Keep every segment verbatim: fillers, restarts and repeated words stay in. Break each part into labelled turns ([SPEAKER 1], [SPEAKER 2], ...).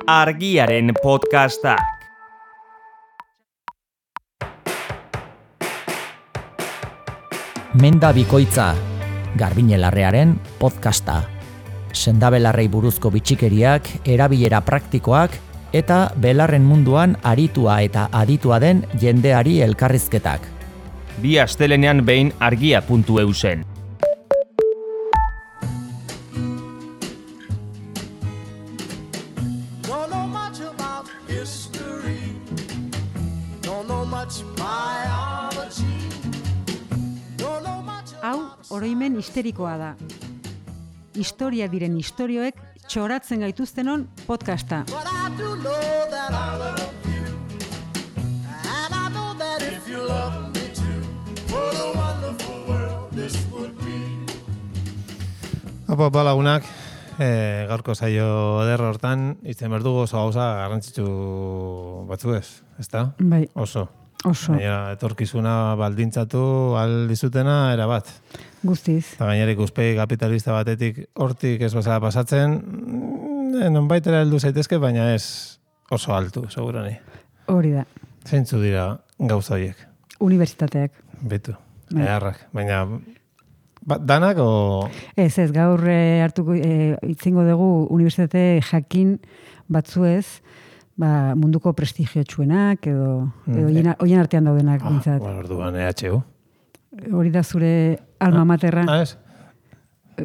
[SPEAKER 1] Argiaren podcastak.
[SPEAKER 2] Menda bikoitza, Garbiñe Larrearen podcasta. Sendabelarrei buruzko bitxikeriak, erabilera praktikoak eta belarren munduan aritua eta aditua den jendeari elkarrizketak.
[SPEAKER 1] Bi astelenean behin argia puntu eu zen.
[SPEAKER 3] Hau, oroimen histerikoa da. Historia diren istorioek txoratzen gaituztenon podcasta.
[SPEAKER 4] Opa, opa lagunak, e, gaurko saio ederro hortan, izten berdugu oso gauza garrantzitsu batzu ez, ezta?
[SPEAKER 3] Bai.
[SPEAKER 4] Oso.
[SPEAKER 3] Oso.
[SPEAKER 4] Gainera, etorkizuna baldintzatu aldizutena erabat.
[SPEAKER 3] Guztiz.
[SPEAKER 4] Eta gainera ikuspegi kapitalista batetik hortik ez bazara pasatzen, nonbaitera heldu zaitezke, baina ez oso altu, segurani.
[SPEAKER 3] Hori da.
[SPEAKER 4] Zeintzu dira gauza horiek?
[SPEAKER 3] Unibertsitateak.
[SPEAKER 4] Betu,
[SPEAKER 3] Bai.
[SPEAKER 4] eharrak. Baina, ba, danak o...
[SPEAKER 3] Ez, ez, gaur e, hartuko e, itzingo dugu unibertsitate jakin batzuez, ba, munduko prestigiotsuenak edo, edo
[SPEAKER 4] Mm,
[SPEAKER 3] hoien hoien artean daudenak
[SPEAKER 4] Ah,
[SPEAKER 3] bintzat.
[SPEAKER 4] bueno, orduan, E H U.
[SPEAKER 3] Hori da zure alma materra.
[SPEAKER 4] Ah, ez?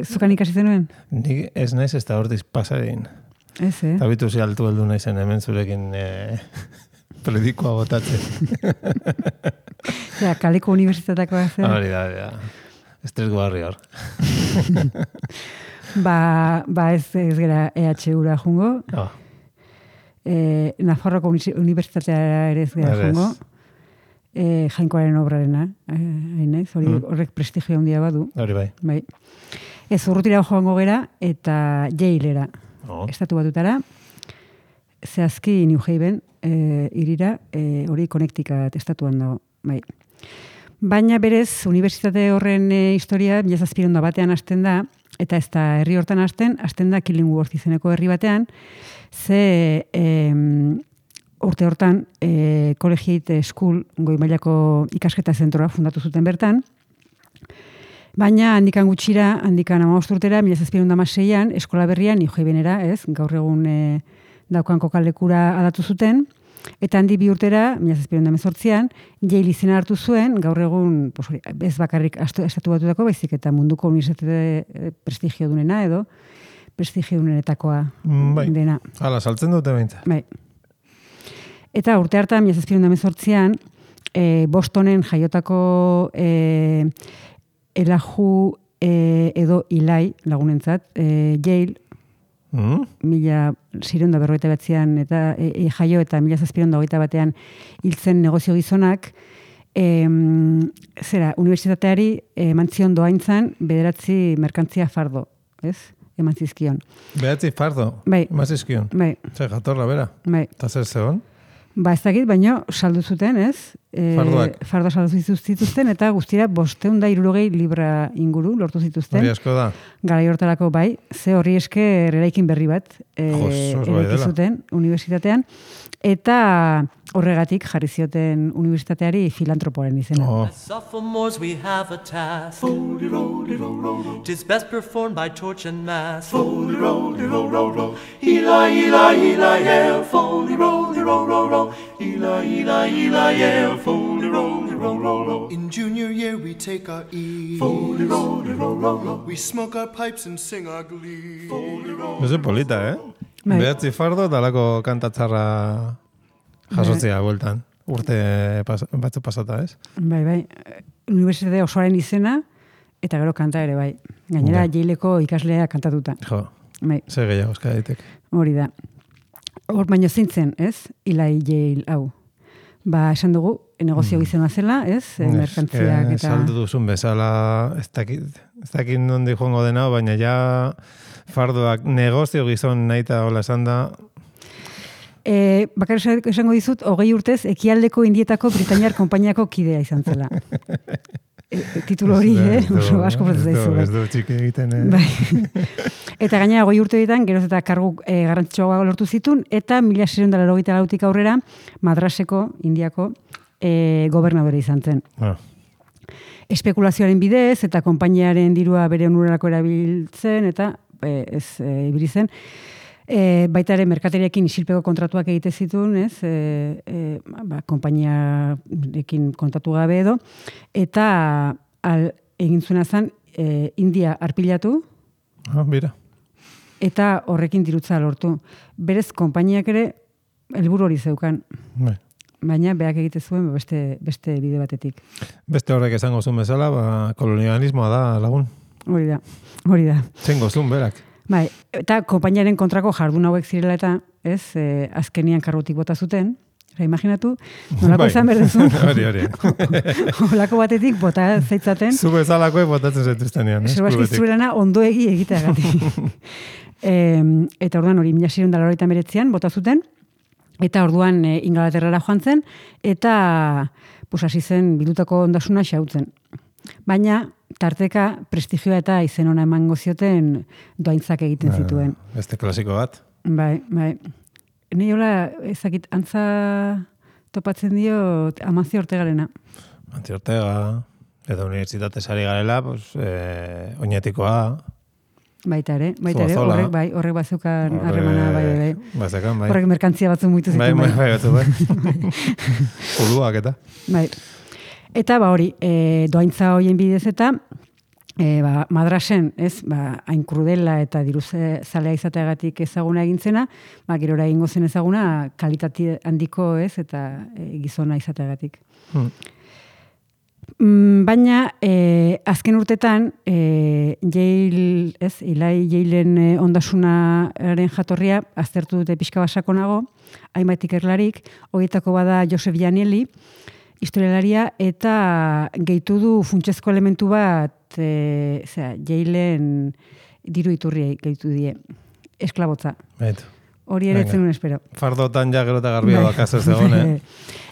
[SPEAKER 3] Zukan ikasi zenuen?
[SPEAKER 4] Nik ez naiz ez da hortiz pasarein.
[SPEAKER 3] Ez, eh?
[SPEAKER 4] Eta bitu zi altu heldu naizen hemen zurekin e, predikoa botatzen.
[SPEAKER 3] Ja, kaleko unibertsitateakoa zen.
[SPEAKER 4] Hori da, hori da. Estres guarri hor.
[SPEAKER 3] Ba, ba ez, ez gara E H U-ra jungo.
[SPEAKER 4] Oh,
[SPEAKER 3] E, Nafarroko uni- unibertsitatea ere ez gara
[SPEAKER 4] Ere ez.
[SPEAKER 3] jungo. E, Jainkoaren obrarena. E, hain naiz, hori
[SPEAKER 4] Mm.
[SPEAKER 3] horrek prestigio handia badu.
[SPEAKER 4] hori bai.
[SPEAKER 3] Bai. Ez urrutira joango gera eta Yalera.
[SPEAKER 4] Oh.
[SPEAKER 3] Estatu batutara. Zehazki New Haven e, irira, e, hori Connecticut estatuan dago. Bai. Baina berez, unibertsitate horren e, historia mila zazpiehun eta batean hasten da, eta ez da herri hortan hasten, hasten da Killingworth izeneko herri batean, ze em, urte hortan e, Collegiate School, goi mailako ikasketa zentroa fundatu zuten bertan, baina handikan gutxira, handikan hamabost urtera, mila zazpiehun eta hamaseian, eskola berrian, New Havenera, ez, gaur egun e, daukan kokalekura aldatu zuten, eta handi bi urtera, mila zazpiehun eta hemezortzian, Yale izena hartu zuen, gaur egun, pues, hori, ez bakarrik astu- estatu batutako, baizik eta munduko unibertsitate eh, prestigio dunena edo, prestigio dunenetakoa
[SPEAKER 4] Mm, bai.
[SPEAKER 3] dena.
[SPEAKER 4] Hala, saltzen dute behintzat.
[SPEAKER 3] Bai. Eta urte hartan, mila zazpiehun eta hemezortzian, e, Bostonen jaiotako e, Elijah e, edo Eli lagunentzat, e, Yale,
[SPEAKER 4] Mm?
[SPEAKER 3] mila zireunda berrogeita batzean eta e, e, jaio eta mila zazpiehun eta hogeita batean hiltzen negozio gizonak, em, zera, unibertsitateari eman zion doaintzan bederatzi merkantzia fardo, ez? Eman zizkion.
[SPEAKER 4] Behatzi fardo.
[SPEAKER 3] Bai.
[SPEAKER 4] Mazizkion.
[SPEAKER 3] Bai,
[SPEAKER 4] Zer, jatorra, bera.
[SPEAKER 3] bai.
[SPEAKER 4] Eta zer zegoen?
[SPEAKER 3] Ba ez dakit, baina saldu zuten, ez? E,
[SPEAKER 4] Fardoak.
[SPEAKER 3] Fardo saldu zituzten eta guztira bosteun da hirurogei libra inguru lortu zituzten.
[SPEAKER 4] Hori asko da.
[SPEAKER 3] Garai hortarako bai, ze horri esker eraikin berri bat e,
[SPEAKER 4] Jos, oso bai
[SPEAKER 3] eraiki
[SPEAKER 4] dela.
[SPEAKER 3] zuten unibertsitatean, eta horregatik jarri zioten unibertsitateari filantropoaren izena.
[SPEAKER 4] Oh,
[SPEAKER 5] As sophomores we have a task. Tis best performed by torch and mask. Eli, Eli, Eli, el, foley, roly, roll, roll, roll. Eli, Eli, Eli, el, foley, roly, roll, roll, roll.
[SPEAKER 6] In junior year we take our ease. Foley, roly, roll, roll, roll. We smoke our pipes and sing our glee. Foley, roll.
[SPEAKER 4] ez polita, eh?
[SPEAKER 3] Bai.
[SPEAKER 4] Behatzi fardo eta alako kantatzarra jasotzea bueltan. Urte pas, batzu pasata, ez?
[SPEAKER 3] Bai, bai. Unibertsitate osoaren izena, eta gero kanta ere bai. Gainera,
[SPEAKER 4] Ja.
[SPEAKER 3] Yaleko ikaslea kantatuta.
[SPEAKER 4] Jo,
[SPEAKER 3] Bai,
[SPEAKER 4] ze gehiago eska daitek.
[SPEAKER 3] hori da. Hor baino zintzen, ez? Eli Yale hau. Ba, esan dugu, negozio gizena zela, ez? E, merkantziak
[SPEAKER 4] Eh,
[SPEAKER 3] eta...
[SPEAKER 4] Saldu duzun bezala, ez dakit, ez dakit nondi joango dena, baina ja fardoak negozio gizon nahi eta hola esan da,
[SPEAKER 3] E, bakar esango dizut, hogei urtez, ekialdeko indietako Britainiar konpainiako kidea izan zela. e, titulo hori, eh? Oso asko protatu zaizu.
[SPEAKER 4] Ez du txiki egiten, eh?
[SPEAKER 3] Bai. Eta gainera goi urte ditan, geroz eta kargu e, garrantzitsuagoa lortu zitun, eta mila seiehun eta laurogeita lautik aurrera, Madraseko, Indiako, e, gobernadore izan zen.
[SPEAKER 4] Ah.
[SPEAKER 3] Espekulazioaren bidez, eta konpainiaren dirua bere onurarako erabiltzen, eta e, ez e, ibili zen. E, baita ere, merkateriakin isilpeko kontratuak egite zituen, ez? E, e, ba, konpainiarekin kontatu gabe edo, eta al, egin zuena zen, e, India arpilatu,
[SPEAKER 4] Ah, bira.
[SPEAKER 3] eta horrekin dirutza lortu. Berez, konpainiak ere, helburu hori zeukan.
[SPEAKER 4] Bai.
[SPEAKER 3] Baina, beak egite zuen beste, beste bide batetik.
[SPEAKER 4] Beste horrek esango zuen bezala, ba, kolonialismoa da lagun.
[SPEAKER 3] Hori da, hori da.
[SPEAKER 4] Zengo zuen berak.
[SPEAKER 3] Bai, eta konpainiaren kontrako jardun hauek zirela eta, ez, e, azkenian karrutik bota zuten, eta imaginatu, nolako
[SPEAKER 4] Bai.
[SPEAKER 3] izan berdezun,
[SPEAKER 4] Hori, hori.
[SPEAKER 3] holako batetik bota zaitzaten,
[SPEAKER 4] Zu bezalakoek botatzen zaituztenean, eh?
[SPEAKER 3] Sebaski
[SPEAKER 4] Eskubetik.
[SPEAKER 3] zuelana ondoegi egiteagatik. e, eta orduan hori, mila seiehun eta laurogeita hemeretzian bota zuten, eta orduan e, Ingalaterrara joan zen, eta pues, hasi zen bildutako ondasuna xautzen. Baina, tarteka, prestigioa eta izen ona emango zioten doaintzak egiten zituen.
[SPEAKER 4] Beste klasiko bat.
[SPEAKER 3] Bai, bai. Ni hola, ezakit, antza topatzen dio Amancio Ortegarena.
[SPEAKER 4] Amancio Ortega, edo unibertsitate sari garela, pues, eh, oinetikoa.
[SPEAKER 3] Baita ere, baita ere,
[SPEAKER 4] Zuazola.
[SPEAKER 3] horrek, bai, horrek bazukan harremana, bai, bai, bai.
[SPEAKER 4] Bazekan, bai.
[SPEAKER 3] Horrek merkantzia batzu muitu
[SPEAKER 4] Bai,
[SPEAKER 3] zituen,
[SPEAKER 4] bai,
[SPEAKER 3] bai.
[SPEAKER 4] bai, batzu, bai. Uluak eta.
[SPEAKER 3] Bai. Eta, ba, hori, e, doaintza hoien bidez eta, e, ba, Madrasen, ez, ba, hain krudela eta diruze zalea izateagatik ezaguna egintzena, ba, gerora egingo zen ezaguna kalitate handiko, ez, eta e, gizona izateagatik.
[SPEAKER 4] Hmm.
[SPEAKER 3] Mm, baina, e, azken urtetan, e, Yale, ez, Eli Yalen e, ondasunaren jatorria, aztertu dute pixka basakonago, hainbat ikerlarik, horietako bada Joseph Janelli, historialaria, eta gehitu du funtsezko elementu bat, e, zera, Yalen diru iturriei gehitu die, esklabotza.
[SPEAKER 4] Baitu.
[SPEAKER 3] Hori ere
[SPEAKER 4] Venga.
[SPEAKER 3] etzen nuen espero.
[SPEAKER 4] Fardotan ja gero eta garbia
[SPEAKER 3] Bai.
[SPEAKER 4] bakaz ez egon, eh?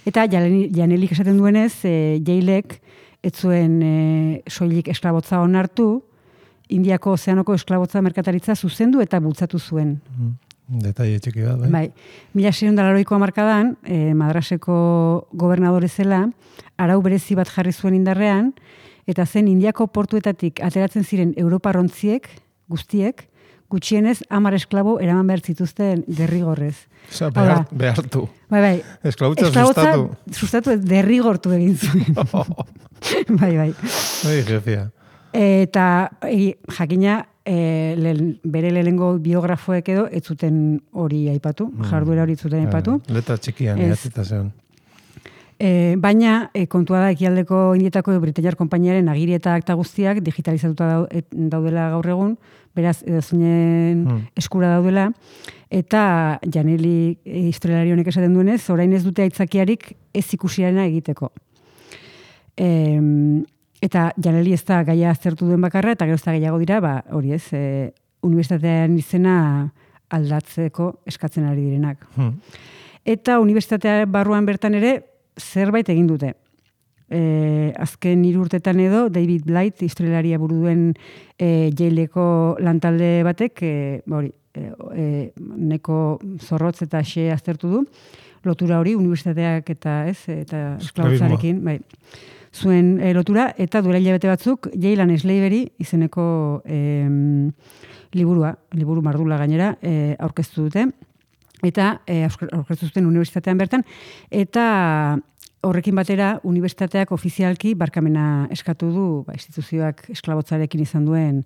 [SPEAKER 3] Eta Janeli- Janelik esaten duenez, e, Yalek ez zuen e, soilik esklabotza onartu, Indiako ozeanoko esklabotza merkataritza zuzendu eta bultzatu zuen.
[SPEAKER 4] Detaile txiki bat, bai.
[SPEAKER 3] Bai, mila seiehun eta laurogeiko hamarkadan, e, Madraseko gobernadore zela, arau berezi bat jarri zuen indarrean, eta zen Indiako portuetatik ateratzen ziren Europarrontziek, guztiek, gutxienez hamar esklabo eraman behar zituzten derrigorrez.
[SPEAKER 4] Osa,
[SPEAKER 3] Hau
[SPEAKER 4] behar,
[SPEAKER 3] da.
[SPEAKER 4] behartu.
[SPEAKER 3] Bai, bai.
[SPEAKER 4] Esklabutza
[SPEAKER 3] Esklabotza
[SPEAKER 4] sustatu.
[SPEAKER 3] sustatu ez, derrigortu egin zuen. bai, bai.
[SPEAKER 4] Bai, jefia.
[SPEAKER 3] Eta e, jakina, e, lehen, bere lehenengo biografoek edo ez zuten hori aipatu, jarduera hori ez zuten aipatu.
[SPEAKER 4] Eh, Letra txikian,
[SPEAKER 3] Ez.
[SPEAKER 4] idatzita zeon.
[SPEAKER 3] E, baina, e, kontua da ekialdeko indietako Britainiar konpainiaren agiri eta akta guztiak digitalizatuta dau- et- daudela gaur egun, beraz, edozunen
[SPEAKER 4] Hmm.
[SPEAKER 3] eskura daudela, eta Janeli e, historialari honek esaten duenez, orain ez dute aitzakiarik ez ikusiarena egiteko. E, eta Janeli ez da gaia aztertu duen bakarra, eta gero ez da gehiago dira, ba, hori ez, e, unibertsitatean izena aldatzeko eskatzen ari direnak.
[SPEAKER 4] Hmm.
[SPEAKER 3] Eta unibertsitatea barruan bertan ere zerbait egin dute. E, azken hiru urtetan edo, David Blight, historialaria buru duen e, Yaleko lantalde batek, e, ba hori, e, e, neko zorrotz eta xe aztertu du, lotura hori, unibertsitateak eta ez, eta esklabotzarekin, bai, zuen e, lotura, eta duela hilabete batzuk, Yale and Slavery izeneko e, liburua, liburu mardula gainera, e, aurkeztu dute, eta e, aurkeztu zuten unibertsitatean bertan, eta horrekin batera unibertsitateak ofizialki barkamena eskatu du ba, instituzioak esklabotzarekin izan duen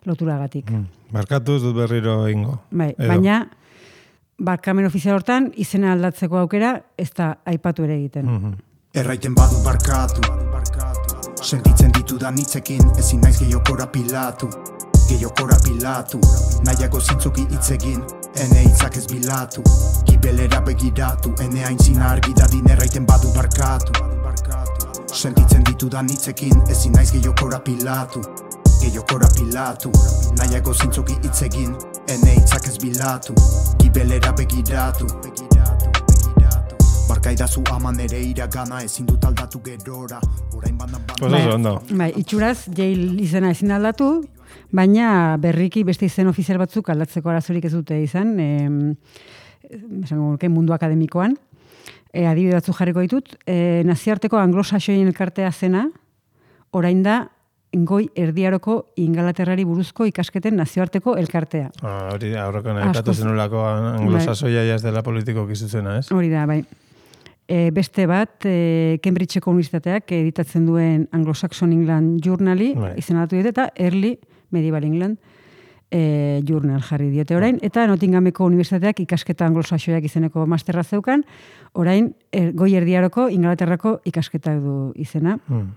[SPEAKER 3] loturagatik.
[SPEAKER 4] Hmm. Barkatu ez dut berriro ingo.
[SPEAKER 3] Bai,
[SPEAKER 4] Edo.
[SPEAKER 3] baina barkamen ofizial hortan izena aldatzeko aukera ez da aipatu ere egiten.
[SPEAKER 4] Mhm.
[SPEAKER 6] Erraiten badu barkatu, sentitzen ditudan hitzekin ezin naiz gehiokora pilatu, gehiokora pilatu, nahiago zintzuki hitzegin, ene hitzak ez bilatu, gibelera begiratu, ene aintzina argi dadin erraiten badu barkatu, sentitzen ditudan hitzekin ezin naiz gehiokora pilatu, gehiokora pilatu, nahiago zintzuki hitzegin, ene hitzak ez bilatu, gibelera begiratu, Barkaidazu ama nere iragana, ezin dut aldatu gerora. Orain bandan
[SPEAKER 4] Pues
[SPEAKER 6] bandan.
[SPEAKER 4] oso ondo.
[SPEAKER 3] Bai, itxuraz, Yale izena ezin aldatu, baina berriki beste izen ofizial batzuk aldatzeko arazorik ez dute izan, e, esango nuke mundu akademikoan. E, adibide batzuk jarriko ditut, e, nazioarteko anglosaxoien elkartea zena, orain da goi erdiaroko Ingalaterrari buruzko ikasketen nazioarteko elkartea.
[SPEAKER 4] Ah, hori aurreko nekatu
[SPEAKER 3] Askoz-
[SPEAKER 4] zenulako anglosasoia ja ez dela politiko kizuzena, ez?
[SPEAKER 3] Hori da, bai. E, beste bat, e, Cambridgeko Unibertsitateak editatzen duen Anglo-Saxon England Journali
[SPEAKER 4] Bai.
[SPEAKER 3] izendatu diote eta Early Medieval England e, Journal jarri diote orain, eta Nottinghameko Unibertsitateak ikasketa anglosaxoiak izeneko masterra zeukan, orain er, goi erdiaroko Ingalaterrako ikasketak du izena.
[SPEAKER 4] Hmm.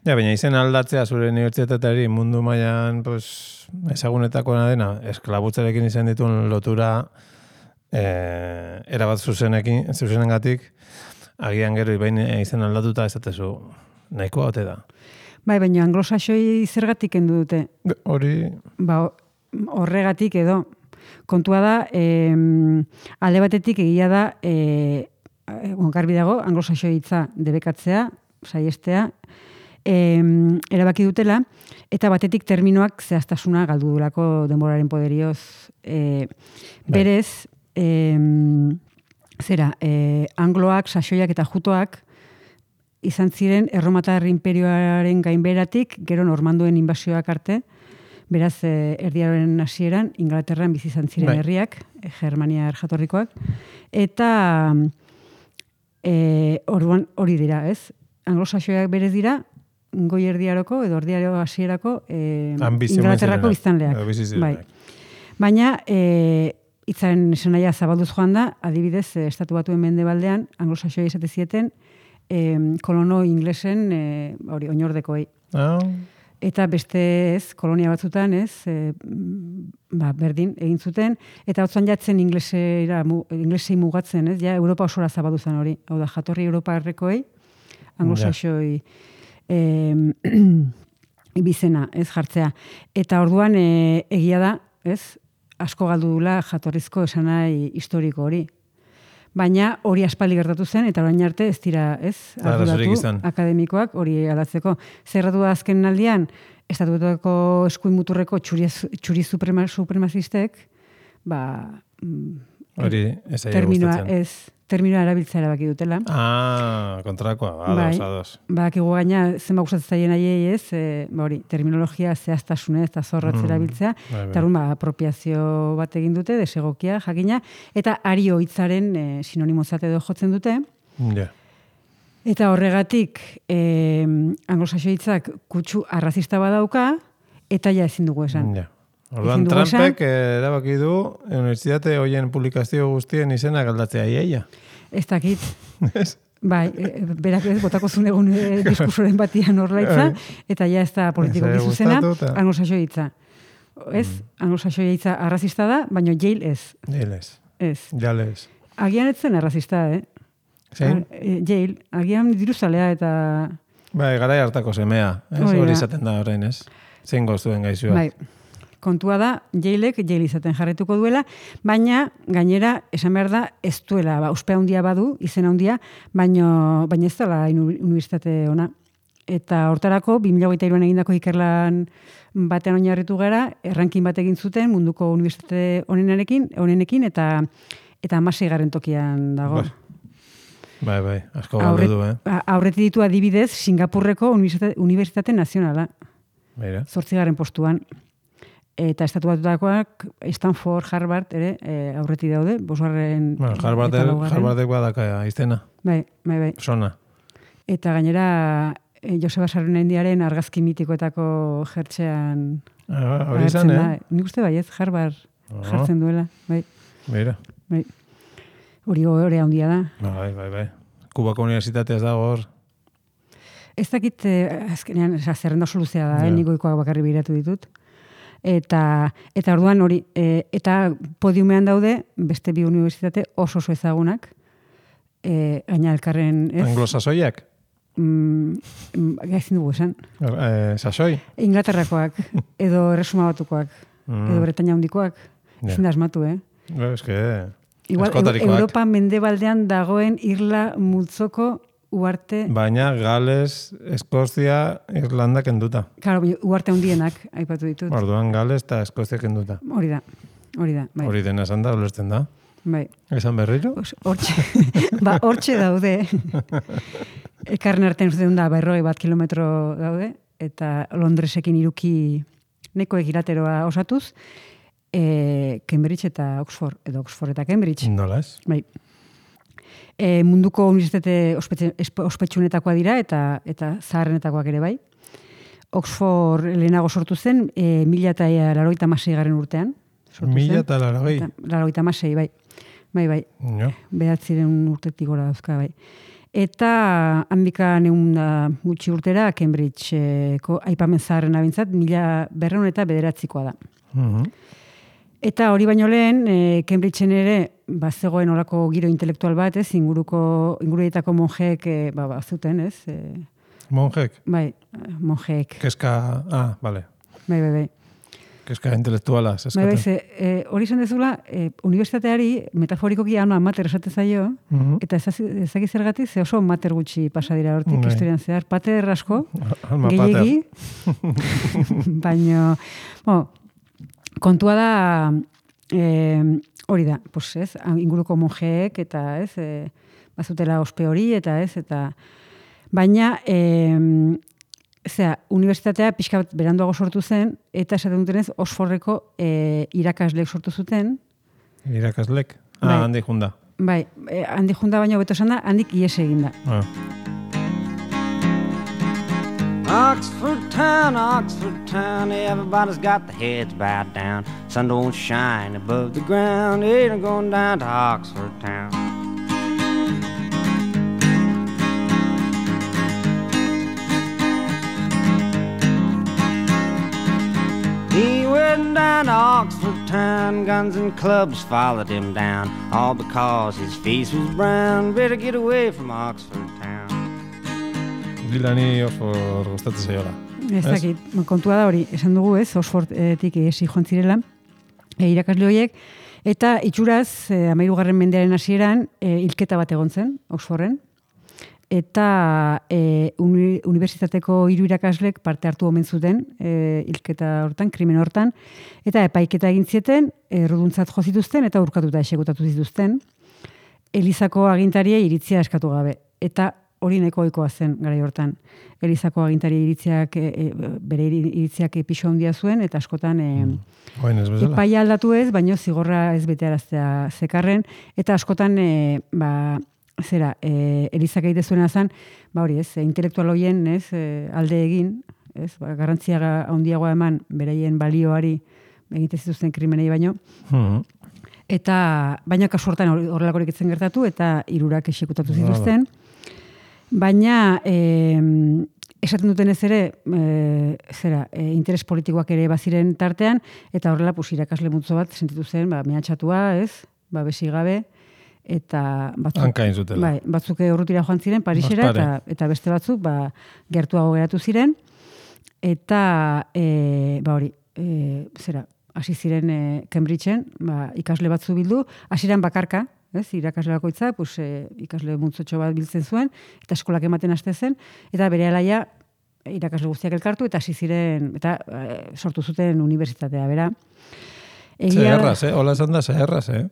[SPEAKER 4] Ja, baina izen aldatzea zure unibertsitateari mundu mailan pues, ezagunetakoena dena, esklabutzarekin izan dituen lotura eh, erabat zuzenekin, zuzenengatik, agian gero ibain izen aldatuta ezatezu nahikoa ote da.
[SPEAKER 3] Bai, baina anglosaxoi zergatik kendu dute?
[SPEAKER 4] Hori,
[SPEAKER 3] Ba, horregatik edo. Kontua da, eh, alde batetik egia da, eh, garbi dago, anglosaxoi hitza debekatzea, saiestea, eh, erabaki dutela, eta batetik terminoak zehaztasuna galdu duelako denboraren poderioz. Eh, berez, eh, zera, eh, angloak, saxoiak eta jutoak izan ziren erromatar imperioaren gainberatik, gero normanduen inbasioak arte, beraz, eh, erdiaren hasieran Ingalaterran bizi izan ziren
[SPEAKER 4] Bai.
[SPEAKER 3] herriak, eh, Germania jatorrikoak, eta eh, orduan hori dira, ez? Anglosaxoiak berez dira, goi erdiaroko edo erdiaro hasierako eh,
[SPEAKER 4] Ambizio
[SPEAKER 3] Ingalaterrako
[SPEAKER 4] zirenak.
[SPEAKER 3] biztanleak.
[SPEAKER 4] Edo bizi
[SPEAKER 3] Bai.
[SPEAKER 4] zirenak.
[SPEAKER 3] Baina, e, itzaren esanahia zabalduz joan da, adibidez, e, estatu batuen mendebaldean, anglosaxoia izate zieten, e, kolono inglesen, e, hori, oinordekoei.
[SPEAKER 4] Ah,
[SPEAKER 3] Eta beste ez, kolonia batzutan, ez, e, ba, berdin egin zuten, eta hotzan jatzen inglesera, mu, inglesei mugatzen, ez, ja, Europa osora zabaldu zen hori. Hau da, jatorri Europa errekoei, anglosaxoi e, bizena, ez, jartzea. Eta orduan, e, egia da, ez, asko galdu dula jatorrizko esanai historiko hori. Baina hori aspaldi gertatu zen, eta orain arte ez dira, ez,
[SPEAKER 4] Eta arazorik
[SPEAKER 3] arduratu
[SPEAKER 4] izan.
[SPEAKER 3] akademikoak hori aldatzeko. Zerratu da azken aldian, estatutuako eskuin muturreko txuri, txuri suprema, supremazistek, ba, mm,
[SPEAKER 4] hori ez aia
[SPEAKER 3] terminoa,
[SPEAKER 4] gustatzen.
[SPEAKER 3] ez, terminoa erabiltzea erabaki dutela.
[SPEAKER 4] Ah, kontrakoa, ados,
[SPEAKER 3] Bai.
[SPEAKER 4] ados.
[SPEAKER 3] Badakigu gaina zenba gustatzen zaien haiei ez, e, ba hori, terminologia zehaztasunez eta zorrotz
[SPEAKER 4] Mm,
[SPEAKER 3] erabiltzea,
[SPEAKER 4] bai, bai.
[SPEAKER 3] eta orduan, ba, apropiazio bat egin dute, desegokia, jakina, eta ario hitzaren e, sinonimozat edo jotzen dute,
[SPEAKER 4] Ja.
[SPEAKER 3] eta horregatik e, anglosaxo hitzak kutsu arrazista badauka, eta ja ezin dugu esan.
[SPEAKER 4] Ja. Orduan,
[SPEAKER 3] Ezin dugu
[SPEAKER 4] Trumpek eh, erabaki du unibertsitate hoien publikazio guztien izenak aldatzea iaia.
[SPEAKER 3] Ez dakit. Bai, e, berak ez, botako zuen egun e, diskursoren batian horlaitza, eta ja ez da politiko
[SPEAKER 4] Ez,
[SPEAKER 3] zuzena,
[SPEAKER 4] gustatu eta-
[SPEAKER 3] anglosaxo hitza. Ez, anglosaxo hitza arrazista da, baina Yale ez.
[SPEAKER 4] Jales,
[SPEAKER 3] Ez.
[SPEAKER 4] jales.
[SPEAKER 3] Agian ez zen arrazista, eh?
[SPEAKER 4] Zein?
[SPEAKER 3] A- e, Yale, agian diruzalea eta...
[SPEAKER 4] Bai, garai hartako semea. Ez?
[SPEAKER 3] Hori
[SPEAKER 4] Hori
[SPEAKER 3] da.
[SPEAKER 4] izaten da orain, ez? Zein goztuen gaizua.
[SPEAKER 3] Bai, kontua da, Yaleek Yale izaten jarretuko duela, baina gainera esan behar da ez duela, ba, uspe handia badu, izen handia, baina, baina ez dela uni- unibertsitate ona. Eta hortarako, bi mila hogeita hiruan egindako ikerlan batean oinarritu gara, errankin bat egin zuten munduko unibertsitate honenarekin, honenekin, eta eta hamaseigarren tokian dago.
[SPEAKER 4] Bai. Bai, bai, asko galdu
[SPEAKER 3] Aurret,
[SPEAKER 4] du, eh?
[SPEAKER 3] a- aurretik ditu adibidez Singapurreko Unibertsitate, Unibertsitate Nazionala,
[SPEAKER 4] Mira.
[SPEAKER 3] zortzigarren postuan. Eta estatu batutakoak Stanford, Harvard, ere, e, aurretik daude, bosgarren
[SPEAKER 4] Bueno,
[SPEAKER 3] eta
[SPEAKER 4] Harvardek,
[SPEAKER 3] laugarren.
[SPEAKER 4] Harvardek badaka iztena.
[SPEAKER 3] Bai, bai, bai.
[SPEAKER 4] Sona.
[SPEAKER 3] Eta gainera, e, Joseba Sarrenendiaren argazki mitikoetako jertxean
[SPEAKER 4] Ah, hori izan,
[SPEAKER 3] agertzen
[SPEAKER 4] eh?
[SPEAKER 3] da. Nik uste bai ez, Harvard
[SPEAKER 4] Ah.
[SPEAKER 3] jartzen duela. Bai,
[SPEAKER 4] Mira.
[SPEAKER 3] bai. Hori hori handia da.
[SPEAKER 4] Bai, bai, bai. Kubako unibertsitatea ez dago hor.
[SPEAKER 3] Ez dakit, eh, azkenean, esa, zerrenda oso luzea da,
[SPEAKER 4] Ja.
[SPEAKER 3] eh, nik goikoak bakarri biratu ditut. Eta, eta orduan hori, e, eta podiumean daude beste bi unibertsitate oso oso ezagunak, e, gaina elkarren, ez?
[SPEAKER 4] Anglosasoiak?
[SPEAKER 3] Mm, mm, ezin dugu esan.
[SPEAKER 4] Eh, sasoi?
[SPEAKER 3] Inglaterrakoak, edo Erresuma Batukoak,
[SPEAKER 4] Mm.
[SPEAKER 3] edo Bretaña handikoak,
[SPEAKER 4] Ja.
[SPEAKER 3] ezin da asmatu, eh?
[SPEAKER 4] Eh, Es que...
[SPEAKER 3] Igual,
[SPEAKER 4] Askotarikoak.
[SPEAKER 3] Europa mendebaldean dagoen irla multzoko uarte,
[SPEAKER 4] Baina Gales, Eskozia, Irlanda kenduta.
[SPEAKER 3] claro, uarte handienak aipatu ditut.
[SPEAKER 4] Orduan Gales eta Eskozia kenduta.
[SPEAKER 3] Hori da, hori da, bai.
[SPEAKER 4] Hori dena esan da, ulertzen da.
[SPEAKER 3] Bai.
[SPEAKER 4] Esan berriro?
[SPEAKER 3] Pues, hortxe, ba, hortxe daude. Ekarren artean uste da, berroi bat kilometro daude, eta Londresekin iruki neko egilateroa osatuz, e, Cambridge eta Oxford, edo Oxford eta Cambridge.
[SPEAKER 4] Nola ez?
[SPEAKER 3] Bai. E, munduko unibertsitate ospetxe- espe- ospetsuenetakoa dira, eta eta zaharrenetakoak ere bai. Oxford lehenago sortu zen, e, mila eta laurogeita hamasei garren urtean. Sortu
[SPEAKER 4] Mila
[SPEAKER 3] zen.
[SPEAKER 4] eta larogei.
[SPEAKER 3] Laurogeita hamasei, bai. Bai, bai.
[SPEAKER 4] Jo.
[SPEAKER 3] Behatziren urtetik gora dauzka, bai. Eta handika neun da gutxi urtera Cambridgeko aipamen zaharren abintzat, mila berreun eta bederatzikoa da.
[SPEAKER 4] Mhm.
[SPEAKER 3] Eta hori baino lehen, e, Cambridgeen ere, ba, zegoen olako giro intelektual bat, ez, inguruko, inguruetako monjeek, e, ba, ba, zuten, ez, e,
[SPEAKER 4] Monjek.
[SPEAKER 3] bai, monjeek,
[SPEAKER 4] Keska, ah, vale.
[SPEAKER 3] bai, bai, bai.
[SPEAKER 4] Keska intelektuala,
[SPEAKER 3] Bai,
[SPEAKER 4] zeskaten.
[SPEAKER 3] bai, ze, e, hori izan dezula, e, unibertsitateari metaforikoki alma mater esate zaio,
[SPEAKER 4] Mhm.
[SPEAKER 3] eta ezaki zergatik, ze oso mater gutxi pasa dira hortik
[SPEAKER 4] Bai.
[SPEAKER 3] historian zehar. Pater asko,
[SPEAKER 4] Alma
[SPEAKER 3] gehiegi, baino, bueno, kontua da, e, hori da, pues, ez, inguruko monjeek, eta ez, e, bazutela ospe hori, eta ez, eta, baina, e, zera, unibertsitatea pixka bat beranduago sortu zen, eta esaten dutenez, Oxfordeko e, irakasleek sortu zuten,
[SPEAKER 4] Irakaslek.
[SPEAKER 3] Bai.
[SPEAKER 4] Ah, handi junda.
[SPEAKER 3] bai, e, handik junda baino beto esan da, handik ies egin da.
[SPEAKER 4] Ah.
[SPEAKER 7] Oxford town, Oxford town, everybody's got their heads bowed down. Sun don't shine above the ground, ain't I'm going down to Oxford town. He went down to Oxford town, guns and clubs followed him down, all because his face was brown. Better get away from Oxford town.
[SPEAKER 4] Dilani Oxford gustatzen zaiola.
[SPEAKER 3] Ez dakit, kontua da hori, esan dugu ez, Oxfordetik esi joan zirela, e, irakasle horiek, eta itxuraz, e, amairugarren mendearen hasieran, e, hilketa bat egon zen, Oxforden, eta e, uni, unibertsitateko hiru irakaslek parte hartu omen zuten e, hilketa hortan, krimen hortan, eta epaiketa egin zieten, erruduntzat jo zituzten, eta urkatuta exekutatu zituzten, Elizako agintariei iritzia eskatu gabe, eta hori nahiko ohikoa zen garai hortan. Elizako agintari iritziak, e, e, bere iritziak pisu handia zuen, eta askotan e,
[SPEAKER 4] Oin ez bezala.
[SPEAKER 3] epaia aldatu ez, baino zigorra ez betearaztea zekarren, eta askotan, e, ba, zera, e, Elizak egite zuena zen, ba hori ez, e, intelektual hoien ez, e, alde egin, ez, ba, garrantzia handiagoa eman beraien balioari egite zituzten krimenei baino,
[SPEAKER 4] Mhm.
[SPEAKER 3] eta baina kasu hortan horrelakorik etzen gertatu, eta hirurak exekutatu zituzten. Baina, e, esaten duten ez ere, e, zera, e, interes politikoak ere baziren tartean, eta horrela, pues, irakasle multzo bat sentitu zen, ba, mehatxatua, ez, ba, besi gabe, eta batzuk,
[SPEAKER 4] Hankain zutela.
[SPEAKER 3] bai, batzuk urrutira joan ziren, Parisera,
[SPEAKER 4] Ospare.
[SPEAKER 3] eta, eta beste batzuk, ba, gertuago geratu ziren, eta, e, ba, hori, e, zera, hasi ziren e, Cambridgeen, ba, ikasle batzu bildu, hasieran bakarka, ez, irakasle bakoitza, pues, e, ikasle multzotxo bat biltzen zuen, eta eskolak ematen haste zen, eta bere alaia irakasle guztiak elkartu, eta hasi ziren, eta e, sortu zuten unibertsitatea, bera.
[SPEAKER 4] Zeherraz, eh? Hola esan da, zeherraz, eh?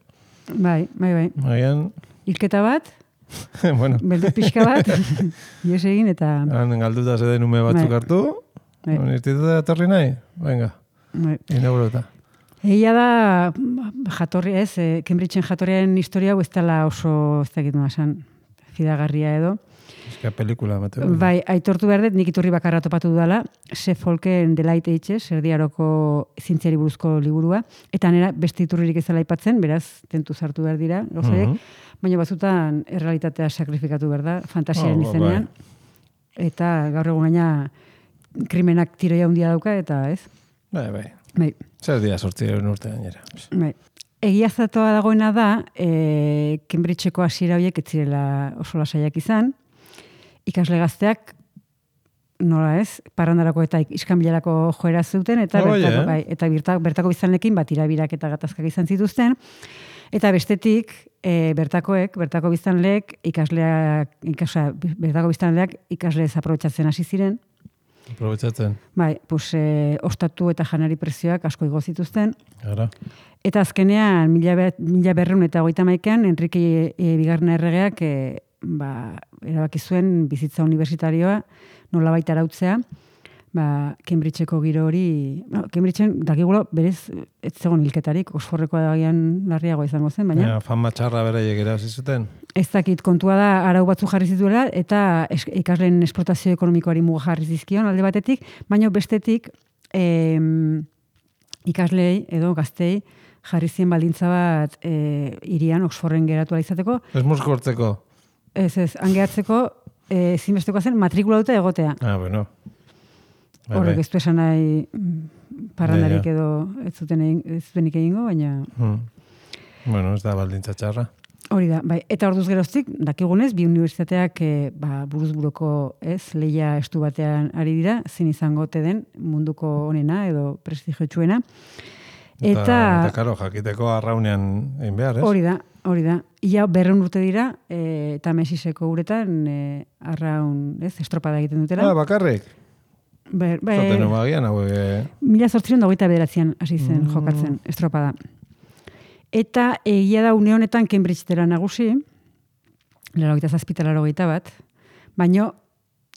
[SPEAKER 3] Bai, bai, bai.
[SPEAKER 4] Agian,
[SPEAKER 3] Hilketa bat,
[SPEAKER 4] bueno,
[SPEAKER 3] beldur pixka bat, ies egin, eta...
[SPEAKER 4] han galduta zeden ume batzuk
[SPEAKER 3] Bai.
[SPEAKER 4] hartu,
[SPEAKER 3] Bai.
[SPEAKER 4] unibertsitatea etorri nahi, venga,
[SPEAKER 3] Bai.
[SPEAKER 4] inaugurota.
[SPEAKER 3] Egia da, jatorri ez, eh, Cambridgeen jatorriaren historia hau ez dela oso, ez dakit nola esan, fidagarria edo.
[SPEAKER 4] Eska pelikula, Mateo.
[SPEAKER 3] Bai, aitortu behar dut, nik iturri bakarra topatu dudala, Suffolken The Light Ages, erdiaroko zientziari buruzko liburua, eta nera beste iturririk ez dela aipatzen, beraz, tentu zartu behar dira, gauzaiek,
[SPEAKER 4] Mhm.
[SPEAKER 3] baina batzutan errealitatea sakrifikatu behar da, fantasiaren
[SPEAKER 4] Oh,
[SPEAKER 3] izenean, eta gaur egun gaina krimenak tiroia handia dauka, eta ez,
[SPEAKER 4] Bai, bai.
[SPEAKER 3] bai.
[SPEAKER 4] Zer dira sortziren urte gainera.
[SPEAKER 3] Bai. Egiaztatua dagoena da, e, Cambridgeko hasiera horiek ez zirela oso lasaiak izan, ikasle gazteak, nola ez, parrandarako eta iskanbilarako joera zuten, eta
[SPEAKER 4] Oh,
[SPEAKER 3] bertako,
[SPEAKER 4] yeah.
[SPEAKER 3] bai, eta bertako, bertako biztanlekin bat irabirak eta gatazkak izan zituzten, Eta bestetik, e, bertakoek, bertako biztanleek, ikasleak, ikasa, bertako biztanleak ikasle aprobetxatzen hasi ziren.
[SPEAKER 4] Aprobetxatzen.
[SPEAKER 3] Bai, pues, e, ostatu eta janari prezioak asko igo zituzten.
[SPEAKER 4] Gara.
[SPEAKER 3] Eta azkenean, mila, be, mila berreun eta hogeita maikean, Enrique e, bigarren erregeak e, ba, erabaki zuen bizitza universitarioa nolabait arautzea, ba, Cambridgeko giro hori, no, Cambridgeen dakigulo berez ez zegoen hilketarik, Oxfordeko agian larriago izango zen, baina
[SPEAKER 4] Ja, fama txarra beraiek erazi zuten.
[SPEAKER 3] ez dakit kontua da arau batzu jarri zituela eta es, ikasleen esplotazio ekonomikoari muga jarri zizkion alde batetik, baina bestetik em, ikaslei edo gaztei jarri zien baldintza bat e, irian Oxforden geratu ahal izateko.
[SPEAKER 4] Ez muskortzeko.
[SPEAKER 3] Ez ez, hangeatzeko e, zinbestekoa zen matrikula dute egotea.
[SPEAKER 4] Ah, bueno. Bai,
[SPEAKER 3] Horrek
[SPEAKER 4] bai.
[SPEAKER 3] ez du esan nahi mm, parrandarik
[SPEAKER 4] Ja, ja.
[SPEAKER 3] edo ez zuten egin, ez zutenik egingo, baina
[SPEAKER 4] Hmm. Bueno, ez da baldintza txarra.
[SPEAKER 3] hori da. Bai. Eta orduz geroztik, dakigunez, bi unibertsitateak e, ba, buruz buruko ez, lehia estu batean ari dira, zin izango ote den munduko onena edo prestigiotsuena.
[SPEAKER 4] Eta,
[SPEAKER 3] Eta,
[SPEAKER 4] eta karo, jakiteko arraunean egin behar, ez?
[SPEAKER 3] hori da, hori da. Ia berreun urte dira, e, eta mesiseko uretan e, arraun, ez, estropada egiten dutela.
[SPEAKER 4] Ah, bakarrik.
[SPEAKER 3] Ber, bai,
[SPEAKER 4] Zaten omagian, hauek... eh,
[SPEAKER 3] mila zortziron da hogeita bederatzean hasi zen
[SPEAKER 4] Mm.
[SPEAKER 3] jokatzen, estropada. Eta egia da une honetan Cambridge dela nagusi, laurogeita zazpi eta laurogeita bat, baino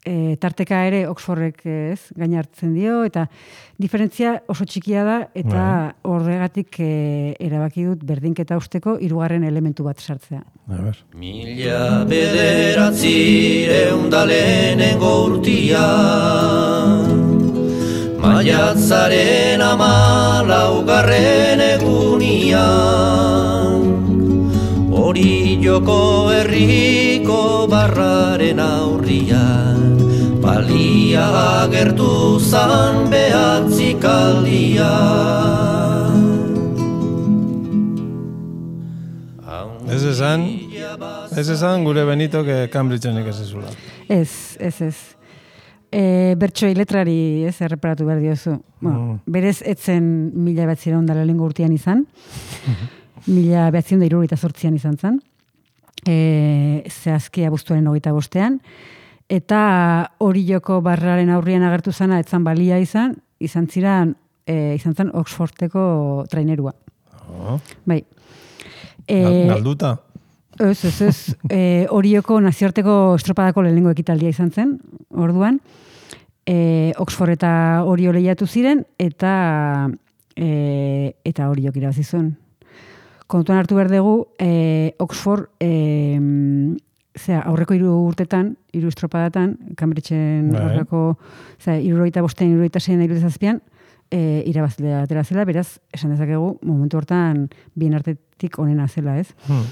[SPEAKER 3] e, tarteka ere Oxfordek ez gaina hartzen dio, eta diferentzia oso txikia da, eta horregatik e, erabaki dut berdinketa usteko hirugarren elementu bat sartzea.
[SPEAKER 4] A ber.
[SPEAKER 8] Mila bederatzireun da lehenengo urtia, maiatzaren amalaugarren egunian, hori joko herriko barraren aurrian, balia agertu zan behatzikaldia.
[SPEAKER 4] Ez esan, ez esan gure Benitok Cambridgeen ikasizula.
[SPEAKER 3] Ez, ez, ez. E, bertsoei letrari ez erreparatu behar diozu. Bueno,
[SPEAKER 4] Mm.
[SPEAKER 3] berez etzen mila behatzireun da lehenengo urtean izan, mila behatzireun da hirurogeita zortzian izan zen, e, zehazki abuztuaren hogeita bostean, eta hori joko barraren aurrian agertu zana etzan balia izan, izan ziren, e, izan zen Oxfordeko trainerua.
[SPEAKER 4] Oh.
[SPEAKER 3] Bai. E,
[SPEAKER 4] Gal- Galduta.
[SPEAKER 3] Ez, ez, ez. E, Orioko nazioarteko estropadako lehenengo ekitaldia izan zen, orduan. E, Oxford eta Orio lehiatu ziren, eta e, eta Oriok irabazi zuen. Kontuan hartu behar dugu, e, Oxford e, zera, aurreko hiru urtetan, hiru estropadatan, Cambridgeen
[SPEAKER 4] Bai.
[SPEAKER 3] aurreko, zera, hirurogeita bostean, hirurogeita seian, hirurogeita zazpian, e, irabazlea atera zela, beraz, esan dezakegu, momentu hortan bien artetik onena zela, ez?
[SPEAKER 4] Hmm.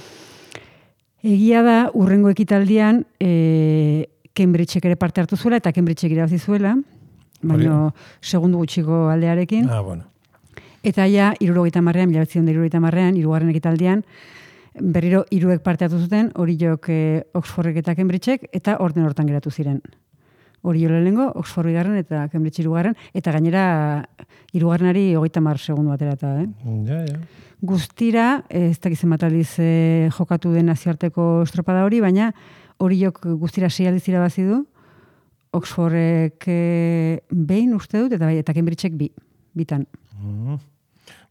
[SPEAKER 3] Egia da, urrengo ekitaldian, e, Cambridgeek ere parte hartu zuela, eta Cambridgeek irabazi zuela, baina segundu gutxiko aldearekin.
[SPEAKER 4] Ah, bueno.
[SPEAKER 3] Eta ja, hirurogeita hamarrean, mila bederatziehun eta hirurogeita hamarrean, hirugarren ekitaldian, berriro hiruek parte hartu zuten, Oriok e, Oxfordek eta Cambridgeek, eta orden hortan geratu ziren. Orio lehenengo, Oxford bigarren eta Cambridge hirugarren, eta gainera hirugarrenari hogeita hamar segundu aterata, eh?
[SPEAKER 4] Ja, ja.
[SPEAKER 3] Guztira, ez dakiz zenbat aldiz e, jokatu den nazioarteko estropada hori, baina Oriok guztira sei aldiz irabazi du, Oxfordek e, behin uste dut, eta bai, eta Cambridgeek bi, bitan.
[SPEAKER 4] Mm.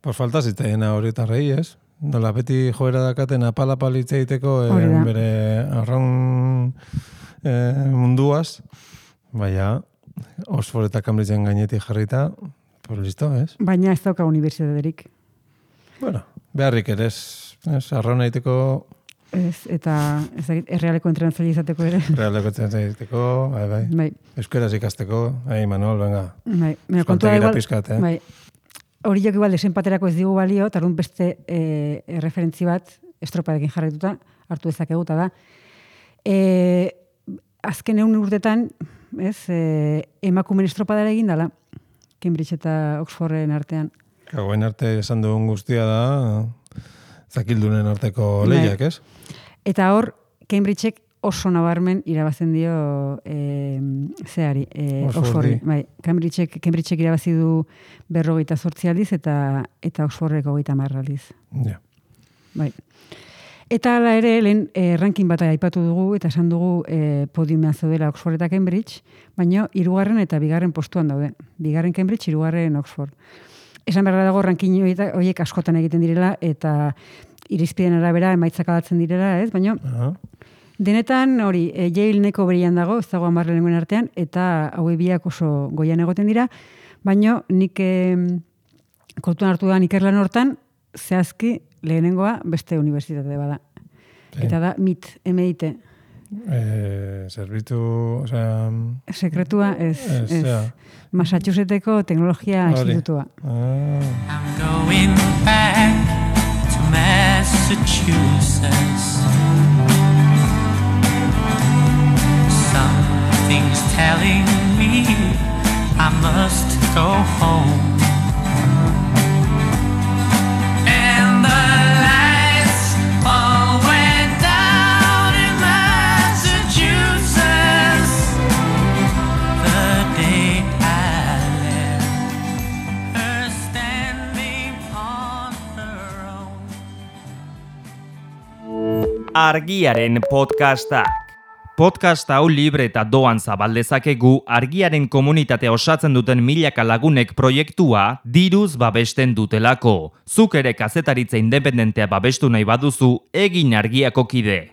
[SPEAKER 4] Pues falta zitzaien horietarrei, ez? Nola beti joera dakaten apal-apal hitz egiteko eh,
[SPEAKER 3] Hori da.
[SPEAKER 4] bere arraun eh, munduaz, baina Oxford eta Cambridgeen gainetik jarrita, pues listo, ez?
[SPEAKER 3] Baina ez dauka unibertsitaterik.
[SPEAKER 4] Bueno, beharrik ere, ez, ez arraun egiteko,
[SPEAKER 3] Ez, eta ez dakit, errealeko entrenatzaile izateko ere.
[SPEAKER 4] realeko egiteko, bai, bai.
[SPEAKER 3] Bai,
[SPEAKER 4] Euskaraz ikasteko, ei, Manuel, venga.
[SPEAKER 3] bai. Baina kontua da
[SPEAKER 4] Kontegira
[SPEAKER 3] igual,
[SPEAKER 4] pizkat, eh?
[SPEAKER 3] bai. Horiek igual desenpaterako ez digu balio, eta orduan beste e, erreferentzi bat estropadekin jarraituta hartu dezakegu, eta da. E, azken egun urtetan, ez, e, emakumen estropadara egin dala, Cambridge eta Oxforden artean.
[SPEAKER 4] Gauen arte esan dugun guztia da, zakildunen arteko
[SPEAKER 3] Bai.
[SPEAKER 4] lehiak, ez?
[SPEAKER 3] Eta hor, Cambridgeek oso nabarmen irabazen dio e, zeari, e,
[SPEAKER 4] Oxfordi.
[SPEAKER 3] Oxfordi. Bai, Cambridgeek, Cambridgeek irabazi du berrogeita zortzi aldiz eta eta Oxfordek hogeita hamar aldiz.
[SPEAKER 4] Ja.
[SPEAKER 3] bai. Eta hala ere, lehen eh, ranking bat aipatu dugu, eta esan dugu eh, podiumean zaudela Oxford eta Cambridge, baina hirugarren eta bigarren postuan daude. Bigarren Cambridge, hirugarren Oxford. Esan beharra dago ranking horiek askotan egiten direla, eta irizpideen arabera emaitzak aldatzen direla, ez? Baina, uh-huh. denetan hori, e, Yale neko berian dago, ez dago hamar lehenengoen artean, eta haue biak oso goian egoten dira, baina nik e, kontuan hartu da ikerlan hortan, zehazki lehenengoa beste unibertsitate bada. Sí. Eta da M I T, M I T.
[SPEAKER 4] Eh, zerbitu, o sea...
[SPEAKER 3] Sekretua, ez,
[SPEAKER 4] ez,
[SPEAKER 3] ez.
[SPEAKER 4] Ja.
[SPEAKER 3] Massachusettseko teknologia institutua.
[SPEAKER 4] Ah.
[SPEAKER 9] I'm going back to Massachusetts. Something's telling me I must go home. And the lights all went down in Massachusetts the day I left her standing on her own.
[SPEAKER 1] Argiaren podcastak. Podcast hau libre eta doan zabaldezakegu argiaren komunitatea osatzen duten milaka lagunek proiektua diruz babesten dutelako. Zuk ere kazetaritza independentea babestu nahi baduzu, egin Argiako kide.